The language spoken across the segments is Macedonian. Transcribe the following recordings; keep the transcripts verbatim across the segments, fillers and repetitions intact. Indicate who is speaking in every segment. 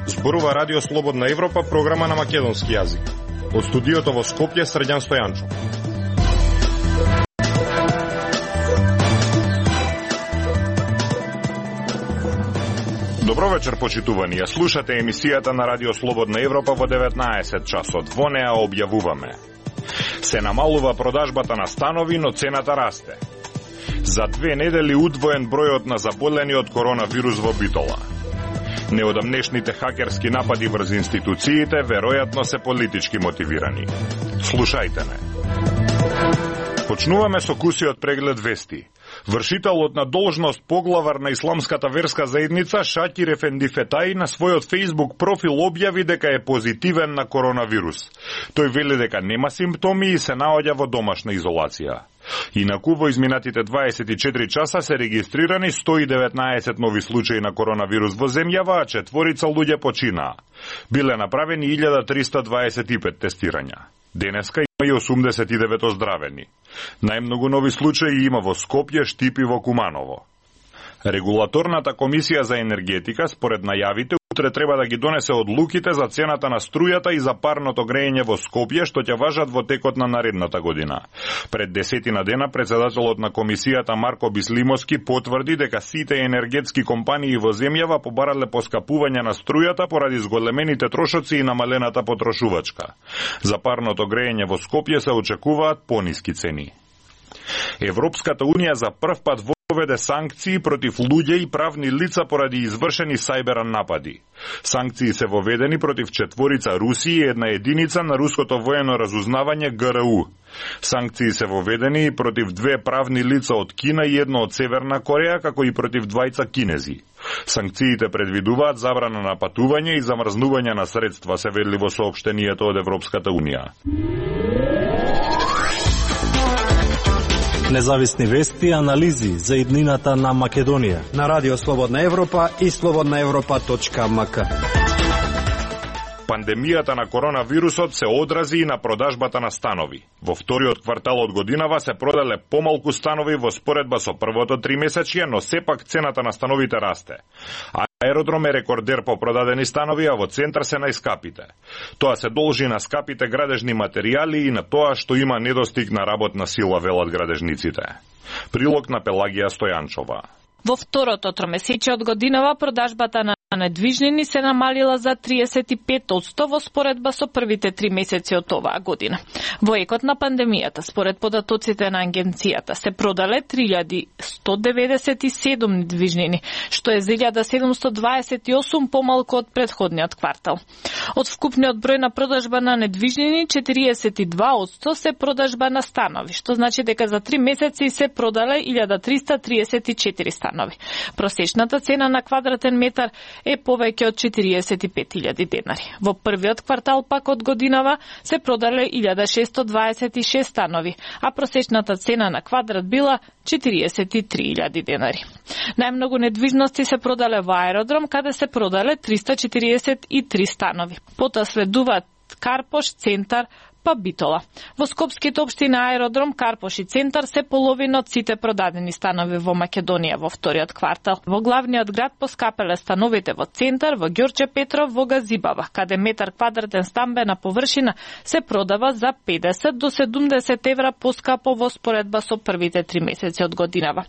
Speaker 1: Зборува Радио Слободна Европа, програма на македонски јазик. Од студиото во Скопје, Срđan Стојанчов. Добро вечер, почитувани. Ја слушате емисијата на Радио Слободна Европа во деветнаесет часот. Во неа објавуваме: се намалува продажбата на станови, но цената расте. За две недели удвоен бројот на заболени од коронавирус во Битола. Неодамнешните хакерски напади врз институциите веројатно се политички мотивирани. Слушајте ме. Почнуваме со кусиот преглед вести. Вршителот на должност поглавар на исламската верска заедница Шакир Ефенди Фетаи на својот Facebook профил објави дека е позитивен на коронавирус. Тој вели дека нема симптоми и се наоѓа во домашна изолација. Инаку во изминатите дваесет и четири часа се регистрирани сто и деветнаесет нови случаи на коронавирус во земјава, а четворица луѓе починаа. Биле направени илјада триста дваесет и пет тестирања. Денеска има и осумдесет и девет оздравени. Најмногу нови случаи има во Скопје, Штип и во Куманово. Регулаторната комисија за енергетика, според најавите, утре треба да ги донесе одлуките за цената на струјата и за парното грејење во Скопје, што ќе важат во текот на наредната година. Пред десетина дена председателот на комисијата Марко Бислимовски потврди дека сите енергетски компании во земјава побарале поскапување на струјата поради зголемените трошоци и намалената потрошувачка. За парното грејење во Скопје се очекуваат пониски цени. Европската унија за прв пат воведе санкции против луѓе и правни лица поради извршени сајбер напади. Санкции се воведени против четворица руси и една единица на руското воено разузнавање Г Р У. Санкции се воведени и против две правни лица од Кина и едно од Северна Кореја, како и против двајца кинези. Санкциите предвидуваат забрана на патување и замрзнување на средства, се вели во соопштението од Европската унија.
Speaker 2: Независни вести и анализи за иднината на Македонија
Speaker 3: на Радио Слободна Европа и слободна европа точка ем ка.
Speaker 1: Пандемијата на коронавирусот се одрази и на продажбата на станови. Во вториот квартал од годинава се продале помалку станови во споредба со првото тримесечје, но сепак цената на становите расте. Аеродром е рекордер по продадени станови, а во центар се најскапите. Тоа се должи на скапите градежни материјали и на тоа што има недостиг на работна сила, велат градежниците. Прилог на Пелагија Стојанчова.
Speaker 4: Во второто тромесечје од годинава продажбата на недвижнини се намалила за триесет и пет одсто во споредба со првите три месеци од оваа година. Во екот на пандемијата, според податоците на агенцијата, се продале три илјади сто деветдесет и седум недвижнини, што е за илјада седумсто дваесет и осум помалку од претходниот квартал. Од вкупниот број на продажба на недвижнини, четириесет и два одсто се продажба на станови, што значи дека за три месеци се продале илјада триста триесет и четири станови. Просечната цена на квадратен метар е повеќе од четириесет и пет илјади денари. Во првиот квартал пак од годинава се продале илјада шесто дваесет и шест станови, а просечната цена на квадрат била четириесет и три илјади денари. Најмногу недвижности се продале во Аеродром, каде се продале триста четириесет и три станови. Потоа следуваат Карпош, Центар, па Битола. Во скопските општини Аеродром, Карпош и Центар се половина од сите продадени станови во Македонија во вториот квартал. Во главниот град поскапеле становите во Центар, во Ѓорче Петров, во Газибава, каде метар квадратен стамбена површина се продава за педесет до седумдесет евра поскапо во споредба со првите три месеци од годинава.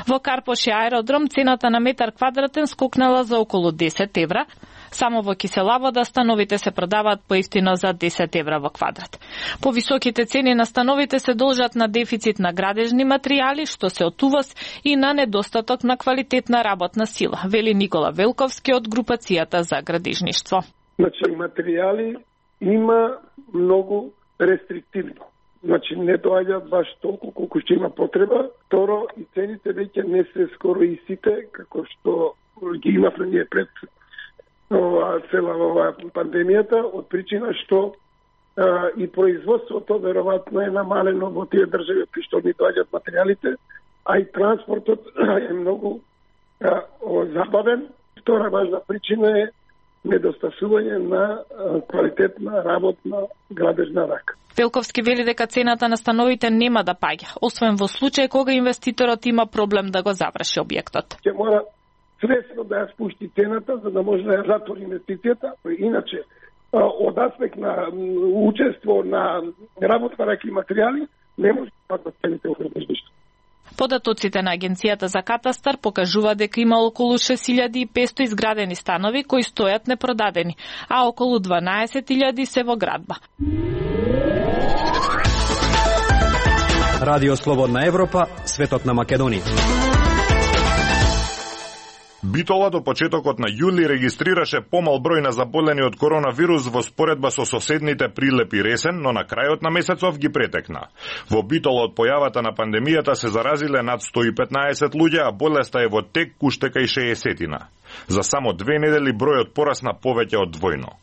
Speaker 4: Во Карпош и Аеродром цената на метар квадратен скокнала за околу десет евра. Само во Киселавода становите се продаваат поевтино за десет евра во квадрат. Повисоките цени на становите се должат на дефицит на градежни материјали, што се од увоз, и на недостаток на квалитетна работна сила, вели Никола Велковски од групацијата за градежништво.
Speaker 5: Значи, материјали има многу рестриктивно. Значи, не доаѓаат баш толку колку што има потреба. Второ, и цените веќе не се скоро истите, како што ги имавме ние пред ова цела ова пандемијата, од причина што а, и производството веројатно е намалено во тие држави кои што ни доаѓаат материјалите, а и транспортот е многу а, о, забавен. Втора важна причина е недостасување на а, квалитетна работна градежна рака.
Speaker 4: Велковски вели дека цената на становите нема да паѓа, освен во случај кога инвеститорот има проблем да го заврши објектот.
Speaker 5: Ќе мора свесно да ја спушти цената за да може да ја затвори инвестицијата, иначе од аспект на учество на работа на материјали не може да паднат цените во превеждиште.
Speaker 4: Податоците на Агенцијата за катастар покажува дека има околу шест илјади и петстотини изградени станови кои стојат непродадени, а околу дванаесет илјади се во градба.
Speaker 3: Радио Слободна Европа, светот на Македонија.
Speaker 1: Битола до почетокот на јули регистрираше помал број на заболени од коронавирус во споредба со соседните Прилеп и Ресен, но на крајот на месецов ги претекна. Во Битола од појавата на пандемијата се заразиле над сто и петнаесет луѓе, а болеста е во тек уште кај шеесетина. За само две недели бројот порасна повеќе од двојно.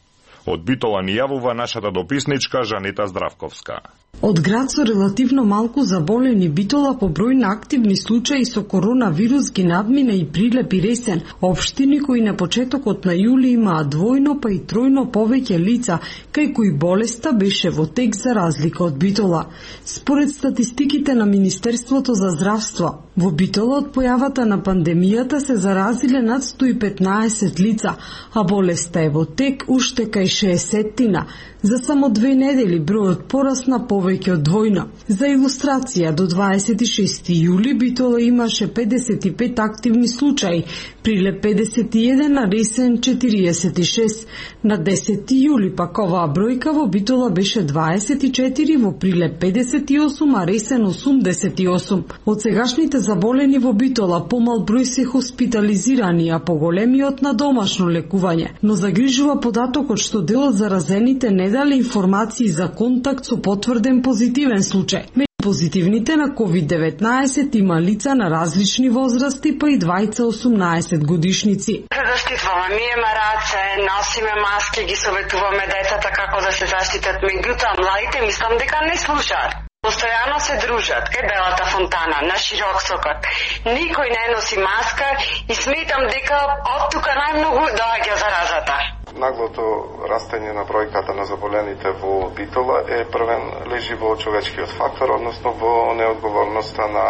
Speaker 1: Од Битола ни јавува нашата дописничка Жанета Здравковска.
Speaker 6: Од град со релативно малку заболени Битола по број на активни случаи со коронавирус ги надмина и Прилеп и Ресен, општини кои на почетокот на јули имаа двојно па и тројно повеќе лица, кај кои болеста беше во тек за разлика од Битола. Според статистиките на Министерството за здравство, во Битола од појавата на пандемијата се заразиле над сто и петнаесет лица, а болеста е во тек уште кај шеесетина. За само две недели бројот порасна повеќе од двојно. За илустрација, до дваесет и шести јули Битола имаше педесет и пет активни случаи, Прилеп педесет и еден, а Ресен четириесет и шест. На десети јули пак оваа бројка во Битола беше дваесет и четири, во Прилеп педесет и осум, а Ресен осумдесет и осум. Од сегашните заболени во Битола помал број се хоспитализирани, а поголемиот на домашно лекување. Но загрижува податокот што дел од заразените не дали информации за контакт со потврден позитивен случај. Меѓу позитивните на ковид деветнаесет има лица на различни возрасти, па и двајца осумнаесет годишници.
Speaker 7: Се заштитуваме, миеме раце, носиме маски, ги советуваме децата како да се заштитат, меѓутоа младите мислам дека не слушаат. Постојано се дружат кај Белата фонтана, на Широксокот. Никој не носи маска и сметам дека од тука најмногу доаѓа заразата.
Speaker 8: Наглото растење на бројката на заболените во Битола е првен лежи во човечкиот фактор, односно во неодговорноста на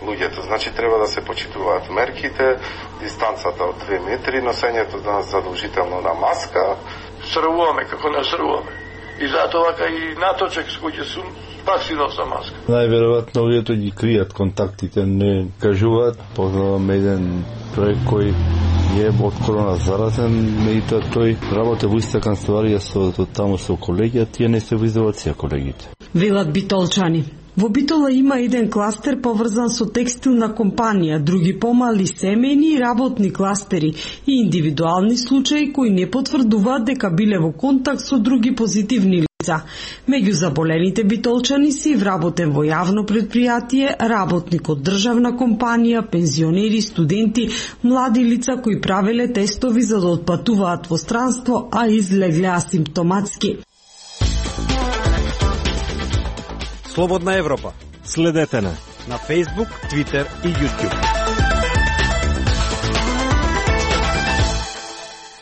Speaker 8: луѓето. Значи треба да се почитуваат мерките, дистанцата од две метри, носењето на задолжително на маска.
Speaker 9: Срвуваме како не срвуваме. И затоа кај наточек с кој сум, пак си носа маска.
Speaker 10: Најверојатно луѓето ги кријат контактите, не кажуваат. Познавам еден човек кој е од корона заразен, меѓутоа тој работи во иста канцеларија со таму со колеги, а тие не се во изолација колегите.
Speaker 6: Велат битолчани. Во Битола има еден кластер поврзан со текстилна компанија, други помали семејни и работни кластери и индивидуални случаи кои не потврдуваат дека биле во контакт со други позитивни лица. Меѓу заболените битолчани си вработен во јавно предпријатие, работник од државна компанија, пензионери, студенти, млади лица кои правеле тестови за да отпатуваат во странство, а излегле асимптоматски.
Speaker 3: Слободна Европа.
Speaker 2: Следете на
Speaker 3: на Facebook, Twitter и YouTube.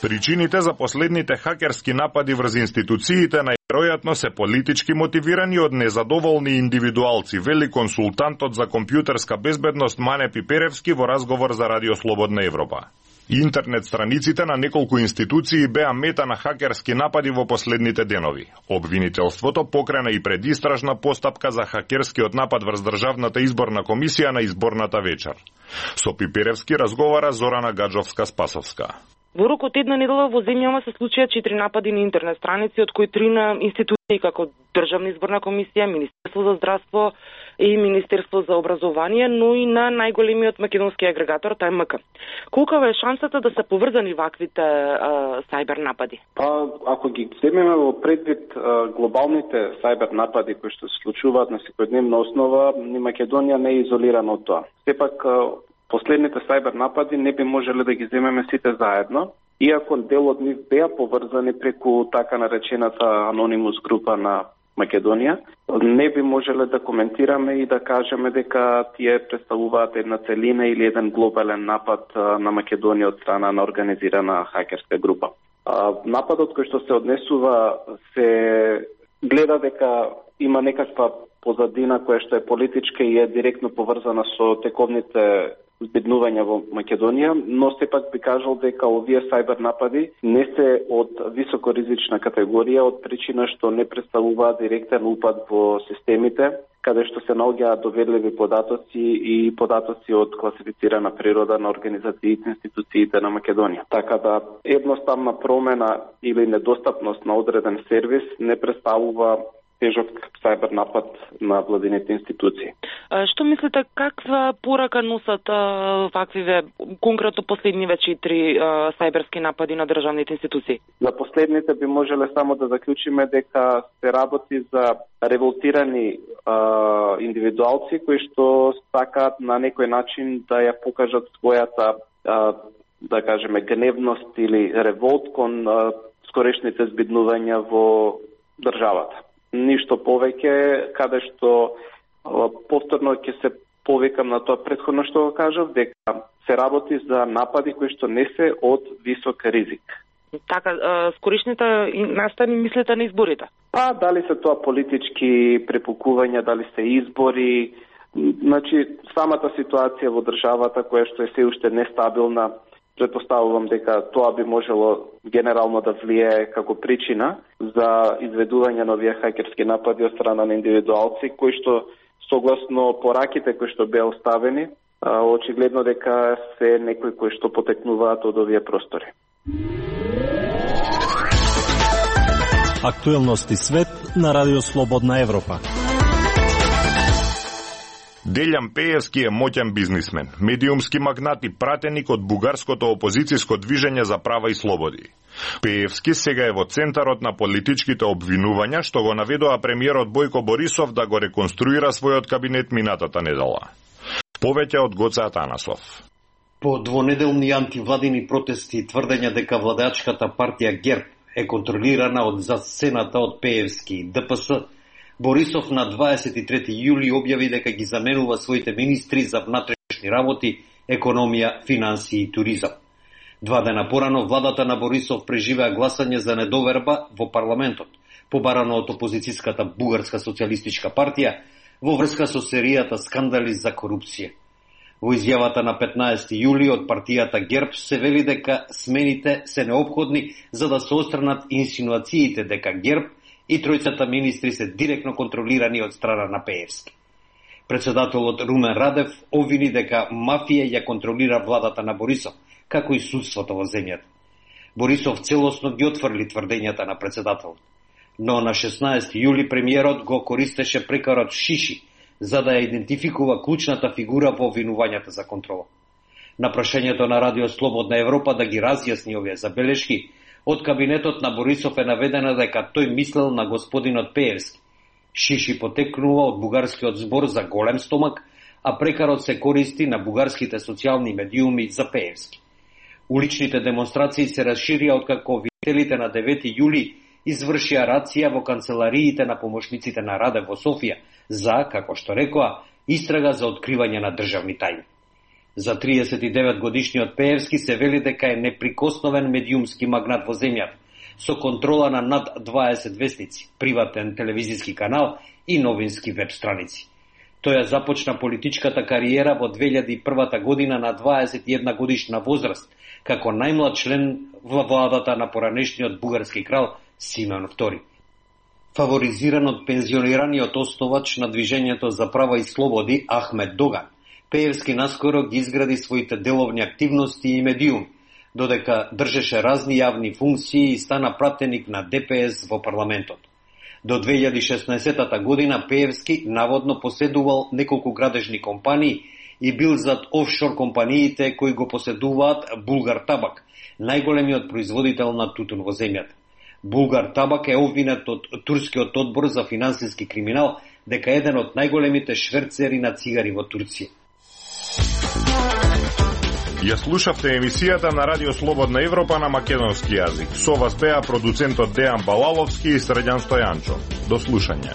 Speaker 1: Причините за последните хакерски напади врз институциите најверојатно се политички мотивирани од незадоволни индивидуалци, вели консултантот за компјутерска безбедност Мане Пиперевски во разговор за Радио Слободна Европа. Интернет страниците на неколку институции беа мета на хакерски напади во последните денови. Обвинителството покрена и предистражна постапка за хакерскиот напад врз Државната изборна комисија на изборната вечер. Со Пиперевски разговара Зорана Гаджовска-Спасовска.
Speaker 11: Во рок од една недела во земјава се случија четири напади на интернет страници, од кои три на институции како Државна изборна комисија, Министерство за здравство и Министерство за образование, но и на најголемиот македонски агрегатор Т М К. Колкава е шансата да се поврзани ваквите а, сайбер напади?
Speaker 12: Па, ако ги земеме во предвид а, глобалните сайбер напади кои што се случуваат на секојдневна основа, ни Македонија не е изолирана од тоа. Сепак последните сайбер напади не би можеле да ги земеме сите заедно, иако дел од нив беа поврзани преку така наречената анонимус група на Македонија, не би можеле да коментираме и да кажеме дека тие представуваат една целина или еден глобален напад на Македонија од страна на организирана хакерска група. Нападот кој што се однесува се гледа дека има некаква позадина која што е политичка и е директно поврзана со тековните збеднувања во Македонија, но сепак би кажал дека овие сајбер напади не се од високоризична категорија, од причина што не представуваат директен упад во системите, каде што се наоѓаат доверливи податоци и податоци од класифицирана природа на организациите и институциите на Македонија. Така да едноставна промена или недостапност на одреден сервис не представува тежок сајбер напад на владините институции.
Speaker 11: Што мислите, каква порака носат ваквиве конкретно последниве четири сајберски напади на државните институции?
Speaker 12: За последните би можеле само да заклучиме дека се работи за револтирани а, индивидуалци кои што сакаат на некој начин да ја покажат својата а, да кажеме гневност или револт кон а, скорешните збиднувања во државата. Ништо повеќе, каде што а, повторно ќе се повикам на тоа претходно што го кажав, дека се работи за напади кои што не се од висок ризик.
Speaker 11: Така, скорешните настани мислите на изборите?
Speaker 12: Па, дали се тоа политички препукувања, дали се избори, значи самата ситуација во државата која што е се уште нестабилна, предпоставувам дека тоа би можело генерално да влијае како причина за изведување на овие хакерски напади од страна на индивидуалци кои што согласно пораките кои што беа оставени, очигледно дека се некои кои што потекнуваат од овие простори.
Speaker 2: Актуелности свет на Радио Слободна Европа.
Speaker 1: Делјан Пеевски е моќен бизнисмен, медиумски магнат и пратеник од бугарското опозицијско движење за права и слободи. Пеевски сега е во центарот на политичките обвинувања што го наведува премиерот Бојко Борисов да го реконструира својот кабинет минатата недела. Повеќе од Гоце Атанасов.
Speaker 13: По двонеделни антивладини протести и тврдења дека владеачката партија ГЕРБ е контролирана од засцената од Пеевски и ДПС, Борисов на дваесет и трети јули објави дека ги заменува своите министри за внатрешни работи, економија, финансии и туризам. Два дена порано владата на Борисов преживеа гласање за недоверба во парламентот, побарано од опозицијската Бугарска социјалистичка партија во врска со серијата скандали за корупција. Во изјавата на петнаесети јули од партијата ГЕРБ се вели дека смените се неопходни за да се отстранат инсинуациите дека ГЕРБ и тројцата министри се директно контролирани од страна на Пеевски. Председателот Румен Радев обвини дека мафија ја контролира владата на Борисов, како и судството во земјата. Борисов целосно ги отфрли тврдењата на председателот. Но на шеснаесети јули премиерот го користеше прекарот Шиши за да ја идентификува клучната фигура во обвинувањата за контрола. На прашањето на Радио Слободна Европа да ги разјасни овие забелешки, од кабинетот на Борисов е наведено дека тој мислел на господинот Пеевски. Шиши потекнува од бугарскиот збор за голем стомак, а прекарот се користи на бугарските социјални медиуми за Пеевски. Уличните демонстрации се расширија откако обвинителите на девети јули извршија рација во канцелариите на помошниците на Радев во Софија за, како што рекоа, истрага за откривање на државни тајни. За триесет и девет годишниот Пеевски се вели дека е неприкосновен медиумски магнат во земјата, со контрола на над дваесет вестници, приватен телевизиски канал и новински веб страници. Тој ја започна политичката кариера во две илјади и прва година на дваесет и една годишна возраст, како најмлад член во владата на поранешниот бугарски крал Симеон втори. Фаворизиран од пензионираниот основач на движењето за права и слободи Ахмед Доган, Пеевски наскоро ги изгради своите деловни активности и медиуми, додека држеше разни јавни функции и стана пратеник на ДПС во парламентот. До две илјади и шеснаесета година Пеевски наводно поседувал неколку градежни компании и бил зад офшор компаниите кои го поседуваат Булгар Табак, најголемиот производител на тутун во земјата. Булгар Табак е обвинет од турскиот одбор за финансиски криминал дека е еден од најголемите шверцери на цигари во Турција.
Speaker 1: Ја слушавте емисијата на Радио Слободна Европа на македонски јазик. Со вас беа продуцентот Дејан Балаловски и Средјан Стојанчо. До слушање.